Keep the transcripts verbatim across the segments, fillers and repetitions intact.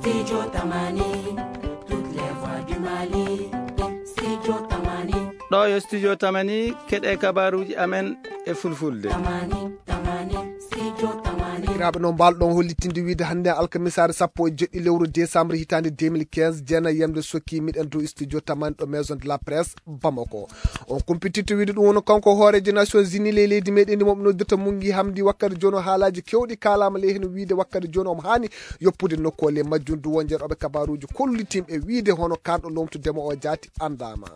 Studio Tamani, toutes les voix du Mali. Studio Tamani. Ɗo yo Studio Tamani, keɗe kabaruji amen e fulfulde. Tamani, Tamani, Studio Tamani. Sakiraaɓe, no mbaalɗon hollitinde wiide hannde alkamisaare sappo e jeɗɗi lewru décembre hitaande deux mille quinze, jeenayi yamde sokki miɗen dow Studio Tamani ɗo Maison de la Presse Bamako. On kumpitirta wiide ɗum woni kanko hooreejo Nations Unies ley leydi meɗen ndi mo ɓe noddirta Mungi Hamdi wakkati jooni o haalaaji kewɗi kaalaama ley heen wiide wakkati jooni omo haani yoppude nokku o ley majjum du won jeeɗooɓe kabaruuji kollitinɓe wiide hono kanɗo lomtudemo o jaati anndaama.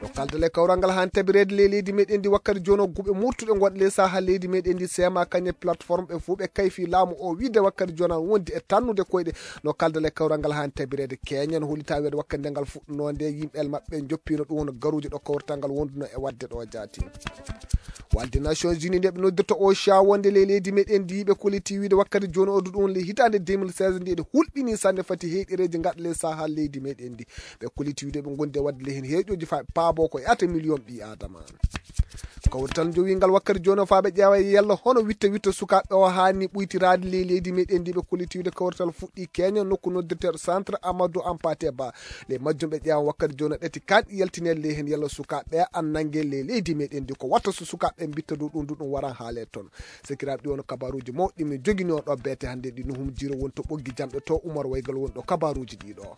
Ɗo kaldal e kawral ngal haan tabireede ley leydi meɗen ndi wakkati jooni o guɓe murtuɗe ngonɗe ley saha leydi meɗen ndi seema kañe plateforme ɓe fuu ɓe kayfi laamu o wiide wakkati jooni an wondi e tannude koyɗe. No kaldal e kawral ngal haan tabireede keñen hollita weede wakkati nde ngal fuɗɗunoo nde yimɓe el maɓɓe njoppiino ɗum hono garuuji ɗo kawrital ngal wonduno e waɗde ɗo jaati. Walde Nations Unies nde ɓe noddirta o cha wonde ley leydi meɗen ndi ɓe kolliti wiide wakkati jooni o du ɗum le hitaande deux mille seize nde ɗe hulɓini sanne fati heyɗereeji ngaɗa ley saha leydi meɗen ndi. Ɓe kolliti wiide ɓe ngondi e waɗde le heen heeƴooji fa paabo ko yahata million ɓi adama. Kawrital jowingal wakkati jooni o faa ɓe ƴeewa yalla hono witte witte sukaaɓe o haani ɓuytiraade ley leydi meɗen ndi ɓe kolliti wiide kawrital fuɗɗi keña nokku noddirteeɗo centre Amadou Hampâté Bâ. Ley majjum ɓe ƴeewa wakkati jooni o ɗati kanɗi yaltineede ley heen yalla sukaaɓe ɓe an nannge ley leydi meɗen ndi ko watta so sukaaɓe ɓe mbitta du ɗum du ɗum waran haale toon. Sakiraaɓe, ɗi won kabaruuji mawɗi min jogini on ɗo beete hannde ɗi no humjiro woni to ɓoggi jamɗe to Umar Waygal woni ɗo kabaruuji ɗi ɗo.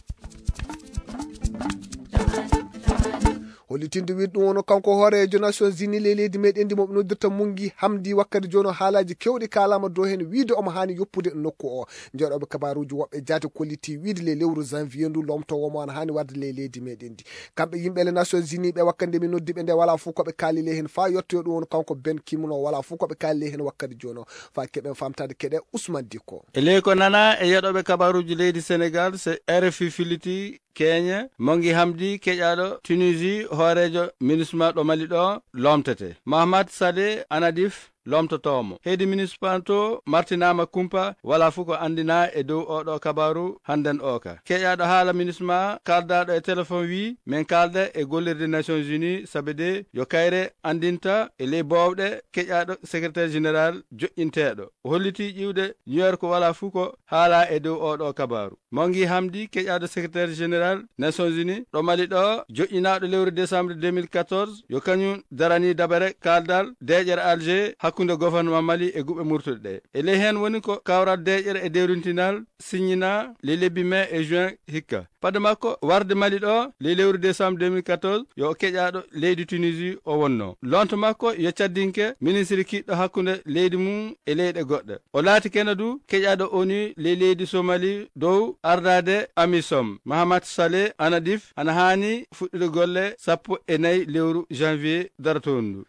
Hollitinde wiide ɗum woni kanko hooreejo Nations Unies ley leydi meɗen ndi mo ɓe noddirta Mungi Hamdi wakkati jooni o haalaaji kewɗi kaalaama dow heen wiide omo haani yoppude nokku o. Jeeɗooɓe kabaruuji woɓɓe jaati kolliti wiide ley lewru janvier ndu lomtoowo mo ana haani warde ley leydi meɗen ndi. Kamɓe yimɓe le Nations Unies ɓe wakkati nde min noddi ɓe nde walaa fof ko ɓe kaali ley heen faa yettoyo ɗum woni kanko Ben Ki-moon o walaa fof ko ɓe kaali ley heen wakkati jooni o. Faa keɓen faamtaade keɗe Ousmane Dikko. E ley ko nanaa e yeɗooɓe kabaruuji leydi Senegal, se R F I filliti keñe, Mongi Hamdi keƴaaɗo Tunisie, hooreejo MINUSMA ɗo Mali ɗo, lomtete. Mahamat Saleh Anadif lomtotoomo. Heedi MINUSMA to martinaama kumpa, walaa fof ko anndinaa e dow oo ɗo kabaaru hannden oo ka. Keƴaaɗo haala MINUSMA kaaldaaɗo e telefon wii, min kaalda e gollirde Nations Unies, sabe de yo kayre anndinta e ley boowɗe keƴaaɗo secrétaire général joƴƴinteeɗo. O hollitii ƴiwde New York walaa fof ko haalaa e dow oo ɗo kabaaru. Mongi Hamdi, keƴaaɗo secrétaire général Nations Unies ɗo Mali ɗo, joƴƴinaaɗo lewru décembre deux mille quatorze, yo kañum daranii dabare kaaldal deeƴere Alger hakkunde gouvernement Mali e guɓe murtuɗe ɗe. E ley heen woni ko kawral deeƴere e dewrintinal siññinaa ley lebbi mai e juin hikka. Fade makko warde Mali ɗo ley lewru décembre deux mille quatorze, yo o keƴaaɗo leydi Tunisie o wonno. Lonto makko yo caddinke ministre kiɗɗo hakkunde leydi mum e leyɗe goɗɗe. O laati kene du keƴaaɗo O N U ley leydi Somali dow ardaade AMISOM. Mahamat Saleh Anadif ana haani fuɗɗude golle sappo e nayi lewru janvier darotoondu.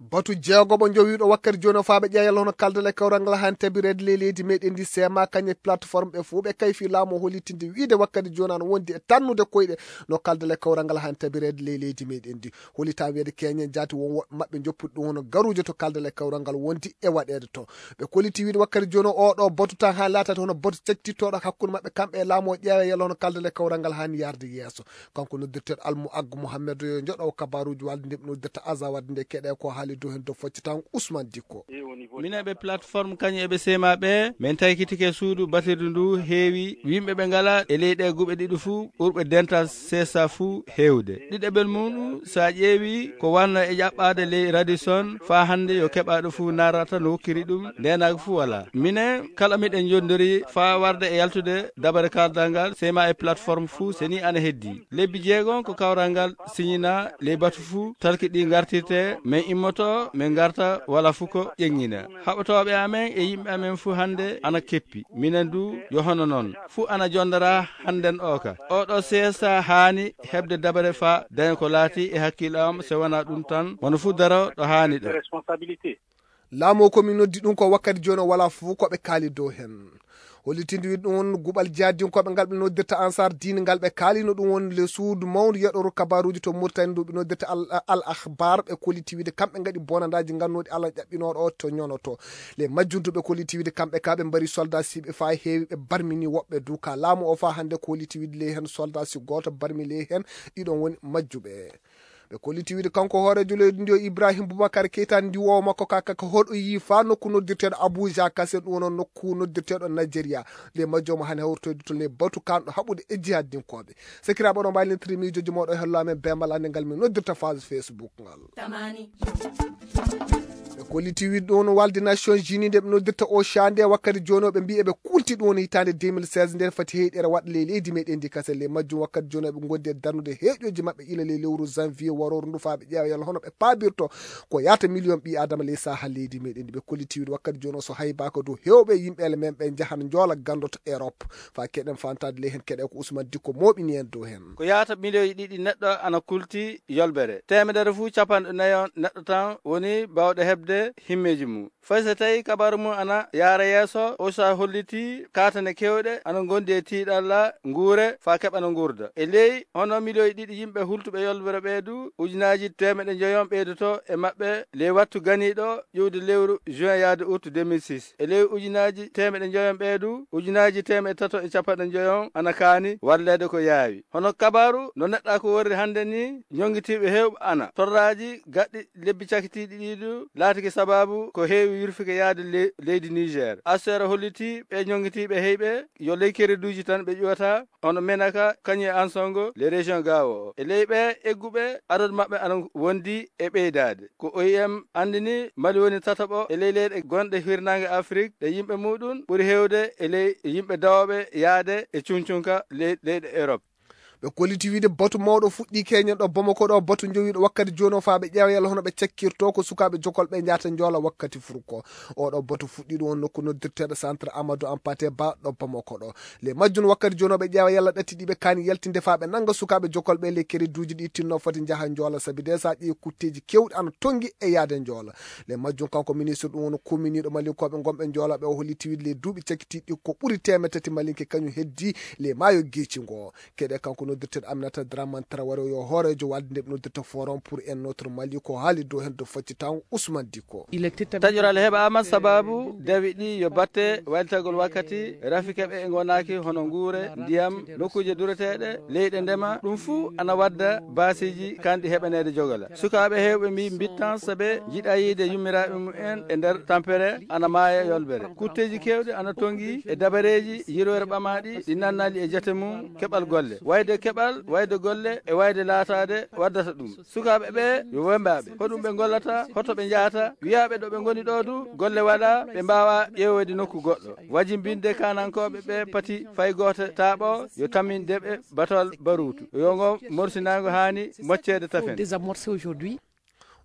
Batu jeegoɓo jowiiɗo wakkati jooni o faa ɓe ƴeewa yalla hono kaldal e kawral ngal haani tabireede ley leydi meɗen ndi seema kañe plateforme ɓe fof ɓe kayfi laamu o hollitinde wiide wakkati jooni ana wondi e tannude koyɗe no kaldal e kawral ngal haani tabireede ley leydi meɗen ndi. Hollita wiyeede keñen jaati won woɓɓe maɓɓe joppude ɗum hono garuujo to kaldal e kawral ngal wondi e waɗeede to. Ɓe kolliti wiide wakkati jooni o ɗo batu tan haa laatata hono batu cactittooɗo hakkunde maɓɓe kamɓe e laamu o ƴeewa yalla hono kaldal e kawral ngal haani yarde yeeso. Kanko noddirteeɗo Almu Aggu Muhammed yo joɗo kabaruuji walde nde ɓe noddirta Aza wadde nde keɗe ko haali dow heen dow foccatango Ousmane Dikko. Minen ɓe plateforme kañum eɓe seema ɓe, min taykitike suudu batirdu ndu heewi yimɓe ɓe ngala e ley ɗe guɓe ɗiɗi fuu ɓurɓe dental C S A fuu heewde. Ɗiɗaɓel mum, so a ƴeewi ko wanno e ƴaɓɓaade ley Radisson, faa hannde yo keɓaaɗo fuu naarata no wokkiri ɗum, ndeenaagu fuu walaa. Minen kala miɗen njondori faa warde e yaltude dabare kaaldal ngal, seema e plateforme fuu, so nii ana heddii. Lebbi jeegom ko kawral ngal siñinaa ley batu fuu, talki ɗi ngartirte, min immoto, min ngarta, walaa fuu ko ƴeŋŋina. Haɓotooɓe amen e yimɓe amen fuu hannde ana keppi. Minen du yo hono noon. Fuu ana jonndoraa hannden oo ka. Oo ɗo C S A haani heɓde dabare faa daña ko laati e hakkille am, so wanaa ɗum tan, wano fuu daro ɗo haani ɗo. Laamu o ko min noddi ɗum ko wakkati jooni o walaa fof ko ɓe kaali dow heen. Hollitinde wiide ɗum won guɓal jihadinkooɓe ngal ɓe noddirta Ansar Diine ngal ɓe kaalino ɗum won le suudu mawndu yeɗoro kabaruuji to Mauritanie ndu ɓe noddirta Al, Al Akhbar ɓe kolliti wiide kamɓe ngaɗi bonandaaji ngannooɗi Allah ƴaɓɓinooɗo o to ñonoto. Le majjum du ɓe kolliti wiide kamɓe ka ɓe mbari soldat siɓe faa heewi ɓe barmini woɓɓe du ka laamu o faa hannde kolliti wiide ley heen soldat si gooto barmi ley heen ɗiɗon woni majjuɓe. Ɓe kolliti wiide kanko hooreejo leydi ndi o Ibrahim Boubacar Keita ndiwoowo makko ka kaka hoɗo yii faa nokku noddirteeɗo Abuja Kasen, ɗum woni nokku noddirteeɗo Nigeria. Le majjo mo hane hawritoyde to le batu kanɗo haɓude e jihaddinkooɓe. Sakiraaɓe, oɗon mbaawi lentiri miijooji mooɗon e hello amen beembal annde ngal min noddirta phase Facebook ngal. Ɓe kolliti wiide ɗum woni walde Nations Unies nde ɓe noddirta OCHA nde wakkati jooni o ɓe mbii eɓe kulti ɗum woni hitaande deux mille seize nde fati heyɗere waɗa ley leydi meɗen ndi kase. Le majjum wakkati jooni o ɓe ngondi e darnude heeƴooji maɓɓe ila ley lewru janvier warooru ndu faa ɓe ƴeewa yalla hono ɓe paabirto ko yaata miliyon ɓii adama ley saha leydi meɗen ndi. Ɓe kolliti wiide wakkati jooni o so haybaaka dow heewɓe yimɓe ele men ɓe njahan njoola ganndo to Europe. Faa keɗen fantaade ley heen keɗe ko Ousmane Dikko mooɓini en dow heen. Ko yaata miliyoji ɗiɗi neɗɗo ana kulti yolbere. Teemedere fuu capanɗe nayi on neɗɗo tan woni baawɗo heɓde himmeeji mum. Fay so tawi kabaaru mum ana yaara yeeso, OCHA holliti kaatane keewɗe ana ngondi e tiiɗalla nguure faa keɓa no nguurda. E ley hono miliyoji ɗiɗi yimɓe hultuɓe yolbere ɓee du, ujunaaji teemeɗe njoyon ɓeydoto e maɓɓe ley wattu ganiiɗo ƴuwde lewru juin yaade août deux mille six. E ley ujunaaji teemeɗe njoyon ɓee du, ujunaaji teemeɗe tato e capanɗe njoyon ana kaani walleede ko yaawi. Hono kabaaru no neɗɗa ko worri hannde ni, ñonngitiiɓe heewɓe ana torraaji gaɗɗi lebbi cakitiiɗi ɗi du laatike sabaabu ko heewi yurfike yaade le-, leydi Niger. Assuere holliti ɓe ñonngitiiɓe heyɓe yo ley kereduuji tan ɓe ƴuwata, hono Menaka, kañum e Ansongo, les régions Gao o. E ley ɓe egguɓe, adadu maɓɓe ana wondi e ɓeydaade. Ko O I M anndini, Mali woni tataɓo e ley leyɗe gonɗe hirnaange Afrik ɗe yimɓe muɗum ɓuri heewde e ley yimɓe dawooɓe yaade e cuncunka ley-, leyɗe Europe. Ɓe kolliti wiide batu mawɗo fuɗɗii keñen ɗo Bamako ɗo, batu jowiiɗo wakkati jooni o faa ɓe ƴeewa yalla hono ɓe cakkirto ko sukaaɓe jokol ɓe njahata njoola wakkati furko. Oɗo batu fuɗɗii ɗum on nokku noddirteeɗo Centre Amadou Hampâté Bâ ɗo Bamako ɗo. Le majjum wakkati jooni o ɓe ƴeewa yalla ɗatti ɗi ɓe kaani yaltinde faa ɓe nannga sukaaɓe jokol ɓe le kereduuji ɗi tinno foti njaha njoola sabi de so a ƴeewi kutteeji keewɗi ana tonngi e yaade njoola. Le majjum kanko ministre ɗum woni kuminiiɗo malinkooɓe ngonɓe njoola ɓe o holliti wiide le duuɓi cakkitiiɗi ko ɓuri teemeɗɗe tati malinke kañum heddi le maayo geeci ngo. Keɗe kanko noddirteeɗo Aminata Dramane Traoré yo hooreejo walde nde ɓe noddirta Forum pour un autre Mali ko haali dow heen dow faccitango Ousmane Dikko. Taƴoral heɓaama sababu dawi ɗi yo batte walitagol wakkati, rafi keɓe e ngonaaki hono nguure, ndiyam, nokkuuje dureteeɗe, leyɗe ndema, ɗum fuu ana wadda baasiiji kanɗi heɓaneede jogola. Sukaaɓe heewɓe mbii mbittan sabe jiɗa yiide yummiraaɓe mumen e nder tampere ana maaya yolbere. Kutteeji keewɗi ana tongi e dabareeji yirwere ɓamaaɗi ɗi nannaali e jate mum keɓal golle. Wayde keɓal, wayde golle e wayde laataade waddata ɗum. Sukaaɓe ɓe yo wembaaɓe. Hoɗum ɓe ngollata, hoto ɓe njahata, wiyaaɓe ɗo ɓe ngoni ɗo du, golle waɗa, ɓe mbaawa ƴeewoyde nokku goɗɗo. Wajimbinde kaanankooɓe ɓe pati fay gooto taaɓo yo tammin deɓe batol baruutu. Yo ngo morsinaango haani mocceede tafen. Désamorcé aujourd'hui.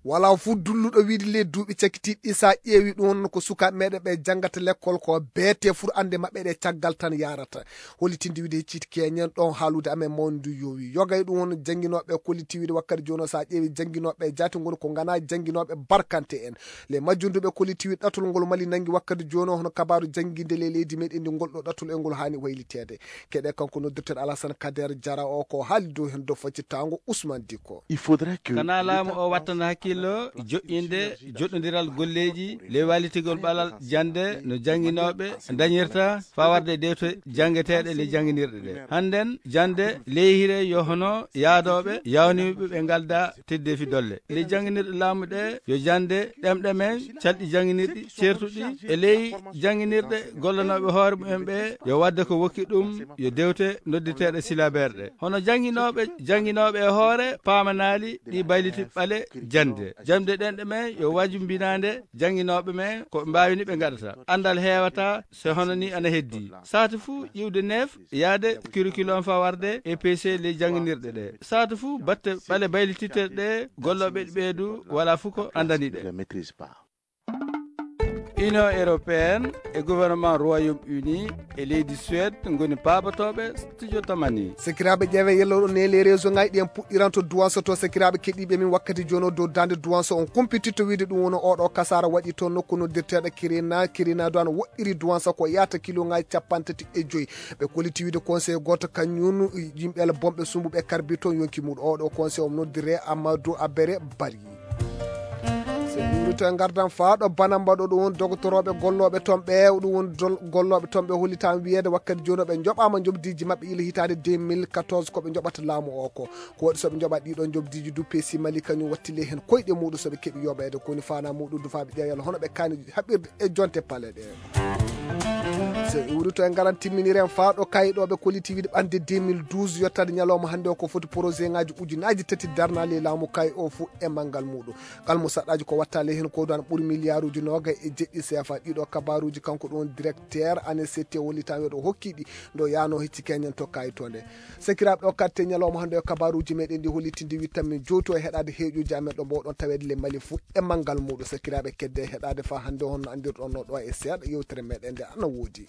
Walaa fof dulluɗo wiide ley duuɓi cakkitiiɗi ɗi, so a ƴeewi ɗum, ko sukaaɓe meɗen ɓe janngata lekkol ko beete fur annde maɓɓe ɗe caggal tan yaarata. Holitinde wiide hecciiti keñen ɗon haalude amen mawni ndu yowi. Yoga e ɗum won jannginooɓe kolliti wiide wakkati jooni o, so a ƴeewi jannginooɓe jaati ngoni ko ngana jannginooɓe barkante en. Le majjunduɓe kolliti wiide ɗatol ngol Mali nanngi wakkati jooni o, hono kabaaru jannginde ley leydi meɗen ndi ngol ɗo ɗatol e ngol haani wayliteede. Keɗe kanko noddirten Alassane Kader Jara o ko haali dow heen dow faccitango Ousmane Dikko. Il faudrait que Kana laamu o wattana hakkillo joƴƴinde joɗɗondiral golleeji ley walitigol ɓalal jannde no jannginooɓe ndañirta faa warde dewte janngeteeɗe ley jannginirɗe ɗe. Hannden jannde ley hire yo hono yaadooɓe yawniiɓe ɓe ngalda teddeefi dolle. Ley jannginirɗe laamu ɗe yo jannde ɗemɗe men, calɗi jannginirɗi ceertuɗi e ley jannginirɗe gollanooɓe hoore mumen ɓe yo waɗde ko wokki ɗum yo dewte nodditeeɗe silabeere ɗe. Hono jannginooɓe, jannginooɓe e hoore paamanaali ɗi bayliti ɓale jannde. Jannde ɗemɗe men yo wajumbinaande jannginooɓe men ko ɓe mbaawini ɓe ngaɗata. Anndal heewata so hono ni ana heddii. Saatu fuu ƴiwde neef yaade curriculum faa warde E P C ley jannginirɗe ɗe. Saatu fuu batte ɓale baylititte ɗe gollooɓe ɗi ɓeydu walaa fuu ko anndani ɗe. Union européenne e gouvernement Royaume-Uni e leydi Suède ngoni paabotooɓe studio Tamani. Sakiraaɓe, ƴeewe yelloɗo ne les réseau ngaji ɗi en puɗɗiranto duwanso to. Sakiraaɓe keɗiiɓe min, wakkati jooni o dow daande duwanso on kumpititto wiide ɗum woni oɗo kasaara waɗi to nokku noddirteeɗo Kirina. Kirina do ana woɗɗiri duwanso ko yaata kilo ngaji capanɗe tati e joyi. Ɓe kolliti wiide conseil gooto kañum yimɓe ala bonɓe sumbuɓe karbito yonki muɗum. Oɗo conseil on noddire Amadou Abere Bari. To e ngardan faa ɗo bana mbaɗo ɗum woni dogotorooɓe gollooɓe toon ɓe, ɗum woni dol-, gollooɓe toon ɓe hollitaama wiyeede wakkati jooni ɓe njoɓaama njoɓdiiji maɓɓe ila hitaande deux mille quatorze ko ɓe njoɓata laamu o ko. Ko waɗi so ɓe njoɓa ɗiɗo njoɓdiiji du P C Mali kañum wattile heen koyɗe muuɗum so ɓe keɓi yoɓeede ko woni faanaa muuɗum du faa ɓe ƴeewa yalla hono ɓe kaani haɓirde e jonte pale ɗe. So iwri to e ngaran timminiren faa ɗo kayɗooɓe kollitiiɗe ɓanndi deux mille douze yottaade ñalawma hannde o ko foti projet ŋaaji ujunaaji tati darnaali e laamu kay o fuu e manngal muuɗum. Kalmu saɗɗaaji ko wattaali heen ko ɗoon ɓuri miliyaaruuji noogay e jeɗɗi C F A. Ɗiɗo kabaaruuji kanko ɗoon directeur A N S C T wallitaama yo ɗo hokki ɗi ndo yaano hecci keñen to kayitoonde. Sakiraaɓe o katte ñalawma hannde o kabaaruuji meɗen ɗi hollitinde wittanmi jowto e heɗaade heeƴuuji amen ɗo mbowɗon taweede le Mali fuu e manngal muuɗum. Sakiraaɓe kedde e heɗaade faa hannde honno anndirɗon no ɗo e seeɗa yewtere meɗen nde ana woodi.